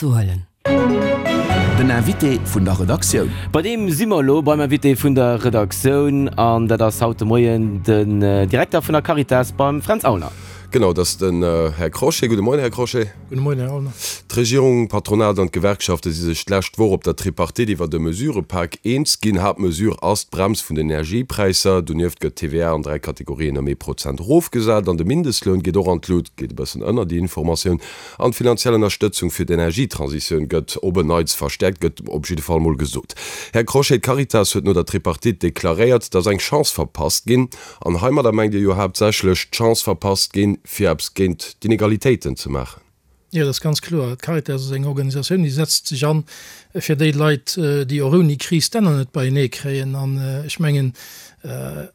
Huelen. Den Invité vun der Redaktioun. Bei deem si mer elo, beim Invité vun der Redaktioun, an dat ass haut de Moien den Direkter vun der Caritas beim Fränz Aulner. Genau, dat ass den Här Crochet. Gudde Moien, Här Crochet. Gudde Moien, Här Aulner. D'Regierung, d'Patronat an d'Gewerkschafte si sech d'lescht Woch op der Tripartite iwwert e Mesurëpak eens ginn. Haaptmesure ass d'Brems vun den Energiepräisser. Donieft gëtt d'TVA an 3 Kategorien ëm ee Prozent erofgesat an de Mindestloun geet och an d'Lut, geet e bëssen ënner déi Informatioun. An d'finanziell Ënnerstëtzung fir d'Energietransitioun gëtt op en Neits verstäerkt, gëtt op jidde Fall mol gesot. Här Crochet, d'Caritas huet no der Tripartite deklaréiert, dass eng Chance verpasst ginn. An heimadder mengt Dir jo haaptsächlech d'Chance verpasst ginn, fir eppes géint d'Inegalitéiten ze maachen. Jo, dat ass ganz kloer. D'Caritas ass eng Organisatioun, déi setzt sech an fir déi Leit, déi och ouni Kris d'Enner net beienee kréien. An ech mengen,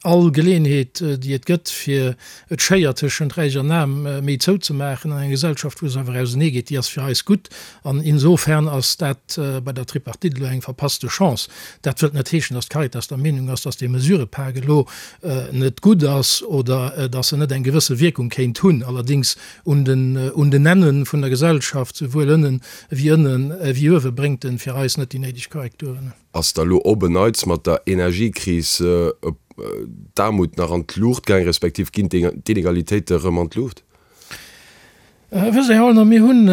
all Geleeënheet, déi et gëtt, fir d'Schéier tëschent Räich an Aarm méi zouzemaachen an enger Gesellschaft, wou se awer auseneegeet, déi ass fir eis gutt. An insofern ass dat bei der Tripartite elo eng verpasste Chance. Dat wëllt net heeschen, datt d'Caritas der Meenung ass, datt dee Mesurëpak elo net gutt ass oder datt en net eng gewësse Wierkung kéint hunn. Allerdéngs un den un den Enne vun der Gesellschaft, souwuel ënnen ewéi ënnen ewéi uewe, bréngt en fir eis net déi néideg Korrekturen. Ass da lo op en Neits mat der Energiekris d'Aarmut nach an d'Luucht gaang, respektiv ginn d'Inegalitéite rëm an d'Luucht? Wësst Dir, Här Aulner, mir hunn,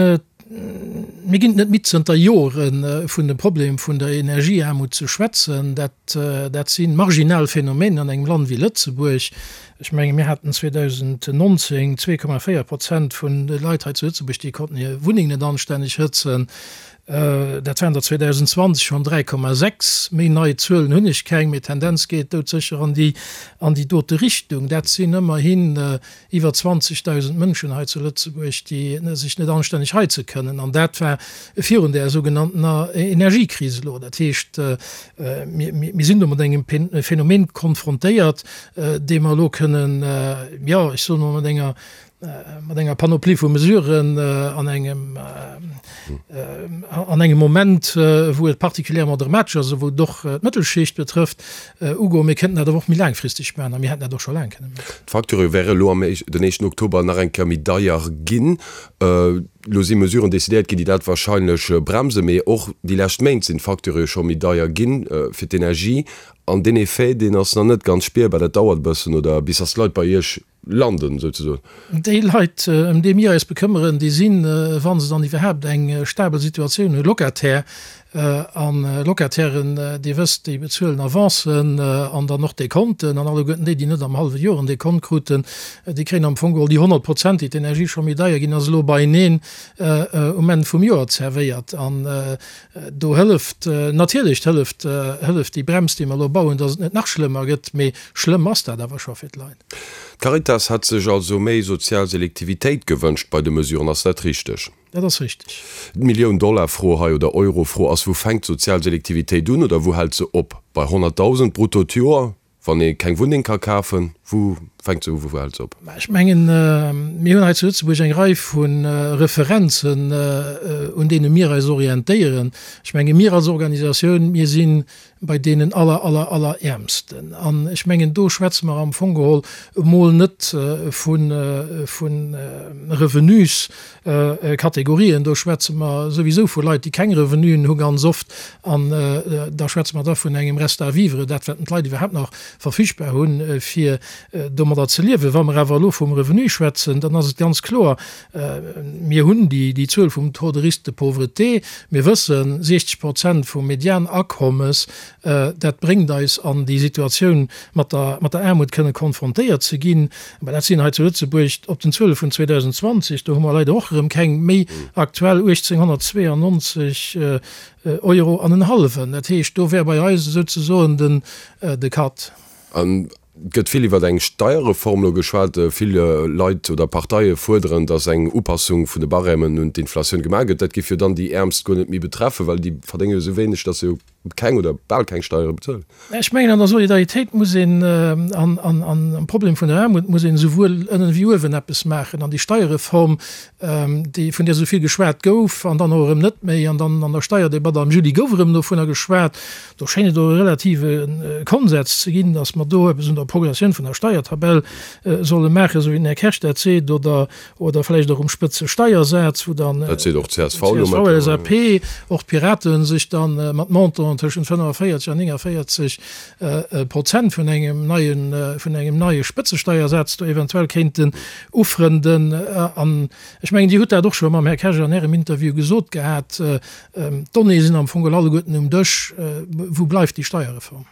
mir ginn et net midd zënter Jore vun dem Problem vun der Energieaarmut ze schwätzen. Dat, dat si marginal Phänomenen an engem Land wéi Lëtzebuerg. Ech menge mir haten 2019 2,4 Prozent vun de Leit hei zu Lëtzebuerg, déi konnten hir Wunneng net anstänneg hëtzen. Dat waren der 2020 schonn 3,6. Méi nei Zuelen hunn ech keng, mee d'Tendenz geet doudsécher an déi an déi dote Richtung. Dat sinn ëmmerhin iwwer 20.000 Mënschen hei zu Lëtzebuerg, déi sech net anstänneg heize kënnen. An dat war virun där sougenanntener Energiekris elo. Dat heescht, mir mir sinn do mat engem Phänomen konfrontéiert, dee mer elo kënnen, jo, ech soen emol mat enger mat enger Panoplie vu Mesuren an engem an engem Moment, wou et particulièrement dramatesch ass a wou et och d'Mëttelschicht betrëfft, ugoen. Mir kënnten dat awer och méi laangfristeg maachen a mir hätten dat och scho laang kënne maachen. D'Facturë wäre elo am den éischten Oktober nach eng Kéier méi deier ginn. Elo si Mesuren decidéiert ginn, déi dat wahrscheinlech bremsen. Mee och déi lescht Méint sinn d'Facturë jo scho méi deier ginn fir d'Energie. An deen Effet, deen ass nach net ganz spierbar. Dat dauert e bëssen, oder bis datt d'Leit bei Iech landen, souzesoen. Déi Leit, ëm déi mir eis bekëmmeren, déi sinn, wa se dann iwwerhaapt eng stabel Situatioun hunn, Locataire. A Locatairen, Dir wësst, déi bezuelen Avancen an dann och Dekonten. An alleguerten déi, déi net am hallwe Joer en Dekont kruten, déi kréien am Fong geholl déi 100 Prozent, déi d'Energie scho méi deier ginn ass, elo beieneen um Enn vum Joer zerwéiert. An do hëlleft natierlech, hëlleft, hëlleft déi Brems, déi mer elo bauen, datt et net nach schlëmmer gëtt. Mee schlëmm ass dat awer scho fir d'Leit. D'Caritas hätt sech also méi sozial Selektivitéit gewënscht bei de Mesuren, ass dat richteg? Dat ass richteg. D'Millioun-Dollar-Fro hei, oder Euro-Fro ass, Wou fänkt d'sozial Selektivitéit un oder wou hält se op? Bei 100.000 brutto d'Joer, wann ee keng Wunneng ka kafen? Wou fänkt se u, wou hält se op? Ech mengen, mir hunn hei zu Lëtzebuerg eng Rei vu Referenzen, un deene mir eis orientéieren. Ech menge mir als Organisatioun, mir sinn bei deenen aller, aller, aller Äermsten. An ech mengen, do schwätze mer am Fong geholl emol net vu Revenuskategorien, do schwätze mer souwisou vu Leit, déi keng Revenuen hu ganz oft. An da schwätze mer da vun engem Reste à vivre, dat wat d'Leit iwwerhaapt nach verfügbar hunn, fir domadder ze liewen. Wa mer awer elo vum Revenu schwätzen, dann ass et ganz kloer, Mir hunn déi Zuel vum Taux de risque de pauvreté. Mir wëssen, 60 Prozent vum Medianakommes, dat bréngt eis an déi Situatioun, mat der Aarmut kënne konfrontéiert ze ginn. Mä dat sinn hei zu Lëtzebuerg op den Zuele vun 2020, do hu mer leider och erëm keng méi aktuell, 1.892 Euro an en hallwen. Dat heescht, do wär bei eis esouzesoen de Cut. Et gëtt vill iwwer eng Steierreform elo geschwat. Vill Leit oder Parteie fuerderen, datt eng Upassung vun de Barèmen un d'Inflatioun gemaach gëtt. Dat géif jo dann déi Äermst guer net méi betreffen, well déi verdénge jo esou wéineg, datt se jo. keng oder bal keng Steiere bezuelen. Ech mengen, an der Solidaritéit muss een, an am Problem vun der Aarmut muss een esouwuel ënnen ewéi uewen eppes maachen. An déi Steierreform, déi, vun där esou vill geschwat gouf an dann och erëm net méi, an dann an der Steierdebatt am Juli gouf erëm dovunner geschwat, do schéngt et och e relative Konsens ze ginn, datt mer do eppes un der Progressioun vun der Steiertabell solle maachen, esou wéi den Här Kersch dat seet, oder oder vläicht och um Spëtzesteiersaz, wou dann Dat seet och d'CSV elo csv, LSAP, och d'Piraten sech dann mat Montanten tëschent 45 an 49 Prozent vun engem neien, vun engem neie Spëtzesteiersaz do eventuell kéinten ufrënden. An ech mengen, Dir hutt dat och scho mam Här Kersch an Ärem Interview gesot gehat, d'Donnéeë sinn am Fong geholl alleguerten um Dësch. Wou bleift déi Steierreform?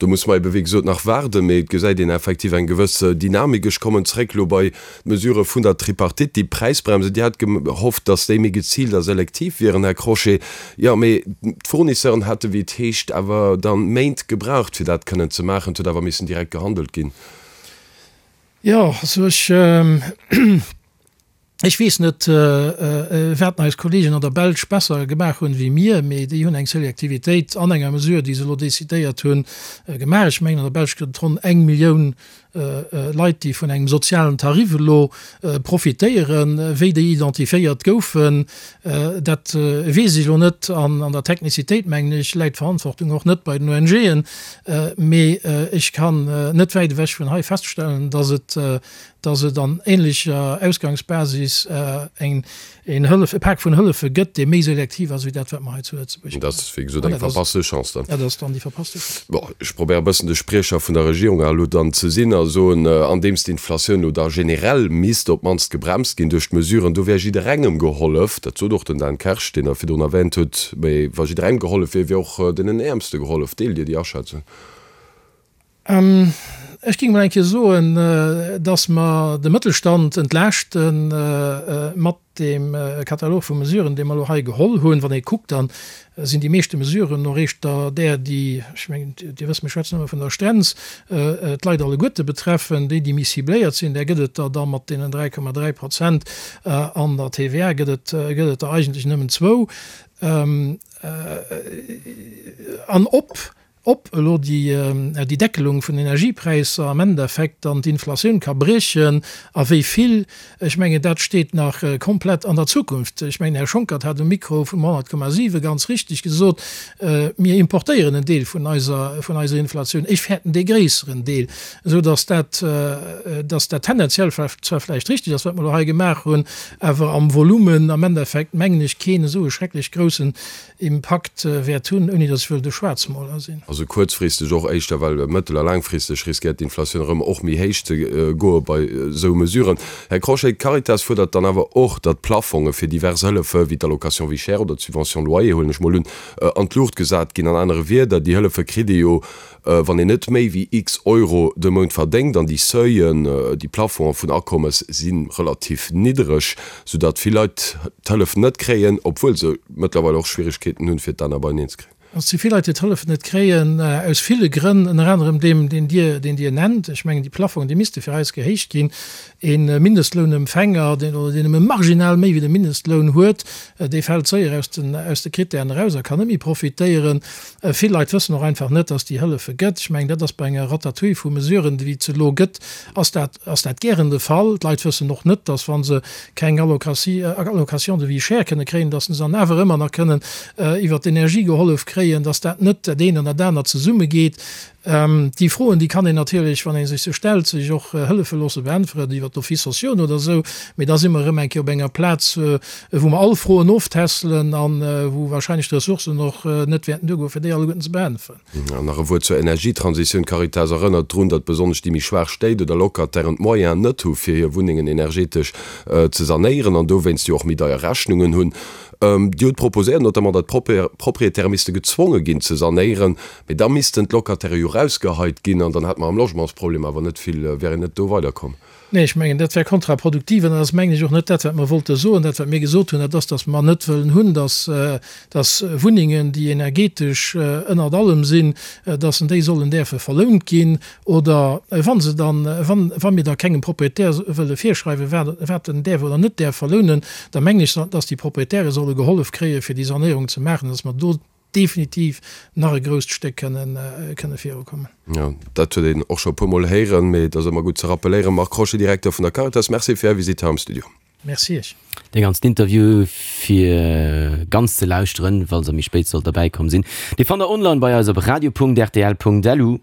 Do musse mer ebe wéi gesot nach waarden, mee et gesäit een effektiv eng gewëss Dynamik. Ech kommen zréck elo bei d'Mesurë vun der Tripartite, déi Präisbremse. Dir hat gehofft, datt déi méi geziilt a selektiv wieren, Här Crochet. Jo, mee d'Fournisseuren hätte wéi et heescht awer dann Méint gebraucht, fir dat kënnen ze maachen. Et huet awer missen direkt gehandelt ginn. Jo, also ech. Ech weess net, wat eis Kollegen an der Belsch besser gemaach hunn wéi mir, mee déi hunn eng Selektivitéit an enger Mesure, déi se elo decidéiert hunn, gemaach. Ech mengen, an der Belsch gëtt et ronn eng Millioun Leit, déi vun engem sozialen Tarif elo profitéieren. Wéi déi identifiéiert goufen, dat weess ech elo net. An an der Technicitéit, mengen ech, läit d'Verantwortung och net bei den ONGen. Mee ech kann net wäit ewech vun hei feststellen, dass et dass et an ähnlecher Ausgangsbasis eng een Hëllef, e Pak vun Hëllefe gëtt, dee méi selektiv ass wéi dat, wat mer hei zu Lëtzebuerg Dat ass, wéi gesot, eng verpasste Chance dann. Dat ass dann déi verpasste Chance. Bon, ech probéiere e bëssen de Spriecher vun der Regierung elo dann ze sinn a soen, andeems d'Inflatioun elo da generell misst op d'mannst gebremst ginn duerch d'Mesuren, do wär jidderengem gehollef. Dat sot och den Dan Kersch, deen Der virdrun erwähnt hutt. Mee wa jidderengem gehollef wier, wier och deenen Äermste gehollef. Deelt Dir déi Aschätzung? Ech géing emol eng Kéier soen, dass mer de Mëttelstand entlaaschte mat deem Katalog vu Mesuren, dee mer elo hei geholl hunn. Wann ee kuckt, da sinn déi meeschte Mesuren och eischter där, déi, ech mengen, Dir wësst, mir schwätzen ëmmer vun der Strenz, d'Leit alleguerte betreffen. Déi, déi méi cibléiert sinn, där gëtt et der da mat deenen 3,3 Prozent an der TVA gëtt et, gëtt et der eigentlech nëmmen zwou. An ob Ob elo déi Deckelung vun den Energiepräisser am Endeffekt dann d'Inflatioun ka briechen a wéi vill, ech mengen, dat steet nach komplett an der Zukunft. Ech mengen, Här Schonckert hat um Mikro vum 100,7 ganz richtig gesot, mir importéieren en Deel vun eiser, vun eiser Inflatioun. Ech fäerten dee gréisseren Deel, esou datt dat, datt dat tendenziell zwar vläicht richtig ass, wat mer elo hei gemaach hunn, awer am Volumen am Endeffekt, mengen ech, keen esou e schrecklech groussen Impakt wäert hunn, ouni datt ech wëll de Schwaarzmoler sinn. Also kuerzfristeg och éischter, well mëttel a laangfristeg riskéiert d'Inflatioun erëm och méi héich ze goe bei esou Mesuren. Här Crochet, d'Caritas fuerdert dann awer och, datt d'Plafonge fir divers Hëllefe wéi d'Allocation vie chère oder d'Subvention loyer, huelen ech mol un, an d'Luucht gesat ginn. An anere Wierder, déi Hëllefe kritt ee jo Wann een net méi wéi x Euro de Mount verdéngt, an déi Seuilen, déi Plafonge vun Akommes si relativ niddereg, soudatt vill Leit d'Hëllef net kréien, obwuel se mëttlerweil och Schwieregkeeten hunn, fir d'Enner beieneen ze kréien. Et si vill Leit, déi d'Hëllef net kréien, aus ville Grënn, ënner anerem deem, deen Dir, deen Dir nennt. Ech mengen, déi Plafongen, déi misste fir eis gehéicht ginn. E Mindestlounempfänger, deen oder deen nëmme marginal méi wéi de Mindestloun huet, dee fält séier aus den, aus de Krittären eraus a kann net méi profitéieren. Vill Leit wëssen och einfach net, dass déi Hëllefe gëtt. Ech mengen, dat ass bei enger Ratatouille vu Mesuren, déi et elo gëtt, ass dat, ass dat gären de Fall. D'Leit wëssen och net, dass, wa se keng Allocation de vie chère kënne kréien, dass se dann awer ëmmer nach kënnen iwwert d'Energie gehollef kréien, dass dat net dat eent an dat anert zesummegeet. Déi Froen, déi kann een natierlech, wann ee sech se stellt, sech och hëllefe loosse beäntweren iwwer d'Offices sociaux oder esou. Mee da si mer erëm eng Kéier op enger Plaz, wou mer all Froen oftässelen a wou wahrscheinlech d'Ressourcen och net wäerten duergoen, fir déi alleguerten ze beäntweren. An nach e Wuert zur Energietransitioun. D'Caritas erënnert drun, datt besonnesch déi méi schwaach Stéit oder Locatairen d'Moyenen net hu fir hir Wunnengen energetesch ze sanéieren an dowéinst jo och méi deier Rechnungen hunn. Dir hutt proposéiert notamment, datt d'Proprietäre misste gezwonge ginn ze sanéieren. Mee da missten d'Locataire jo rausgeheit ginn an dann hätte mer am Logementsproblem awer net vill, wär een net do weiderkomm. Nee, ech mengen, dat wär kontraproduktiv an dat ass, mengen ech, och net dat, wat mer wollte soen. Dat, wat mir gesot hunn, dat ass, dass mer net wëllen hunn, dass, dass Wunnengen, déi energetesch ënnert allem sinn, dass en déi sollen däerfe verlount ginn oder wa se dann, wann, wa mir da kengem Proprietär wëlle virschreiwen, wat, wat en däerf oder net däerf verlounen, da mengen ech, dass déi Proprietäre solle gehollef kréien, fir déi Sanéierung ze maachen, dass mer do. definitiv nach e grousst Stéck kënnen, kënne virukommen. Jo, dat huet een och scho e puermol héieren, mee et ass ëmmer gutt ze rappeléieren. Marc Crochet, Direkter vun der Caritas, Merci fir Är Visitt hei am Studio. Merci Iech. Dee ganzen Interview fir ganz ze lauschteren, falls der méi spéit sollt derbäi komm sinn, dee fannt der online bei eis op radio.rtl.lu.